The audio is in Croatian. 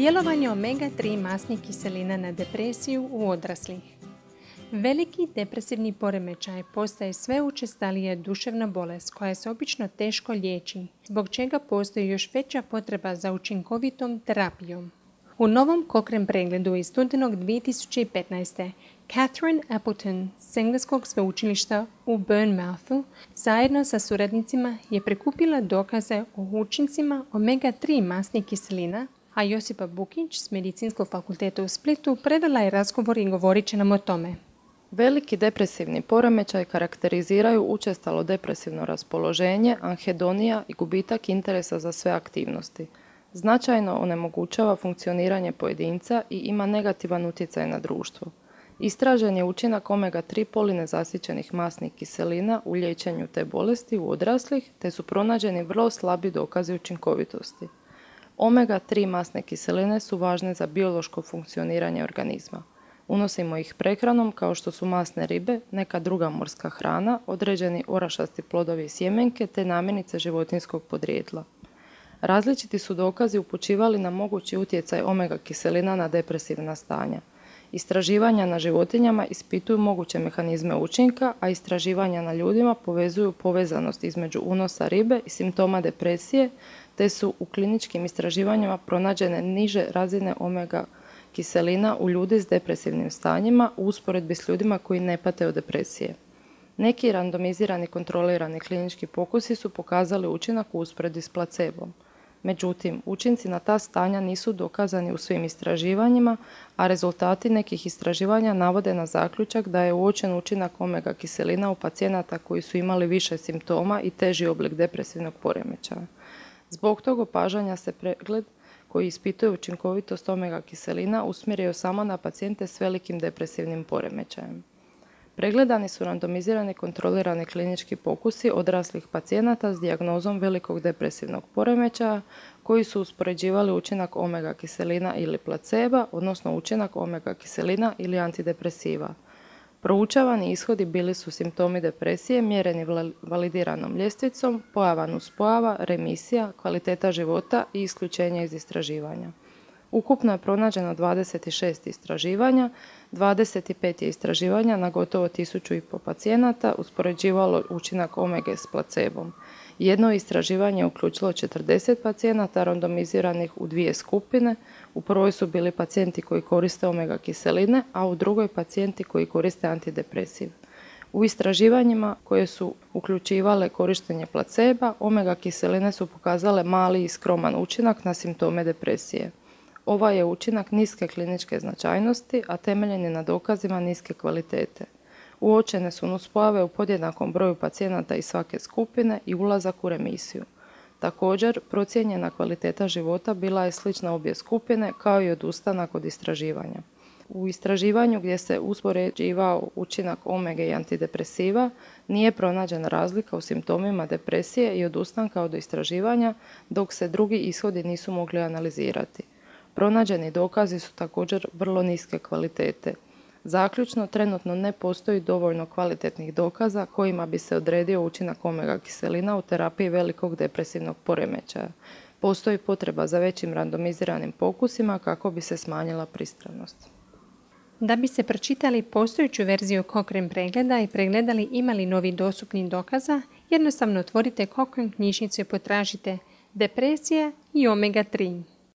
Djelovanje omega-3 masnih kiselina na depresiju u odraslih. Veliki depresivni poremećaj postaje sve učestalija duševna bolest koja se obično teško liječi, zbog čega postoji još veća potreba za učinkovitom terapijom. U novom Cochrane pregledu iz studenog 2015. Catherine Appleton s engleskog sveučilišta u Bournemouthu zajedno sa suradnicima je prikupila dokaze o učincima omega-3 masnih kiselina, a Josipa Bukić s Medicinskog fakulteta u Splitu predala je razgovor i govorit će nam o tome. Veliki depresivni poremećaj karakteriziraju učestalo depresivno raspoloženje, anhedonija i gubitak interesa za sve aktivnosti. Značajno onemogućava funkcioniranje pojedinca i ima negativan utjecaj na društvo. Istražen je učinak omega-3 polinezasićenih masnih kiselina u liječenju te bolesti u odraslih, te su pronađeni vrlo slabi dokazi učinkovitosti. Omega-3 masne kiseline su važne za biološko funkcioniranje organizma. Unosimo ih prehranom kao što su masne ribe, neka druga morska hrana, određeni orašasti plodovi i sjemenke te namirnice životinjskog podrijetla. Različiti su dokazi upućivali na mogući utjecaj omega kiselina na depresivna stanja. Istraživanja na životinjama ispituju moguće mehanizme učinka, a istraživanja na ljudima povezuju povezanost između unosa ribe i simptoma depresije, te su u kliničkim istraživanjima pronađene niže razine omega kiselina u ljudi s depresivnim stanjima u usporedbi s ljudima koji ne pate od depresije. Neki randomizirani kontrolirani klinički pokusi su pokazali učinak u usporedbi s placebom. Međutim, učinci na ta stanja nisu dokazani u svim istraživanjima, a rezultati nekih istraživanja navode na zaključak da je uočen učinak omega kiselina u pacijenata koji su imali više simptoma i teži oblik depresivnog poremećaja. Zbog tog opažanja se pregled koji ispituje učinkovitost omega kiselina usmjerio samo na pacijente s velikim depresivnim poremećajem. Pregledani su randomizirani kontrolirani klinički pokusi odraslih pacijenata s dijagnozom velikog depresivnog poremećaja koji su uspoređivali učinak omega kiselina ili placeba, odnosno učinak omega kiselina ili antidepresiva. Proučavani ishodi bili su simptomi depresije mjereni validiranom ljestvicom, pojava nuspojava, remisija, kvaliteta života i isključenje iz istraživanja. Ukupno je pronađeno 26 istraživanja, 25 je istraživanja na gotovo 1500 pacijenata uspoređivalo učinak omege s placebom. Jedno istraživanje je uključilo 40 pacijenata randomiziranih u dvije skupine. U prvoj su bili pacijenti koji koriste omega kiseline, a u drugoj pacijenti koji koriste antidepresiv. U istraživanjima koje su uključivale korištenje placeba, omega kiseline su pokazale mali i skroman učinak na simptome depresije. Ovaj je učinak niske kliničke značajnosti, a temeljen je na dokazima niske kvalitete. Uočene su nuspojave u podjednakom broju pacijenata iz svake skupine i ulazak u remisiju. Također, procijenjena kvaliteta života bila je slična obje skupine, kao i odustanak od istraživanja. U istraživanju gdje se uspoređivao učinak omege i antidepresiva nije pronađena razlika u simptomima depresije i odustanka od istraživanja, dok se drugi ishodi nisu mogli analizirati. Pronađeni dokazi su također vrlo niske kvalitete. Zaključno, trenutno ne postoji dovoljno kvalitetnih dokaza kojima bi se odredio učinak omega kiselina u terapiji velikog depresivnog poremećaja. Postoji potreba za većim randomiziranim pokusima kako bi se smanjila pristranost. Da bi se pročitali postojeću verziju Cochrane pregleda i pregledali imali novi dostupnih dokaza, jednostavno otvorite Cochrane knjižnicu i potražite depresija i omega-3.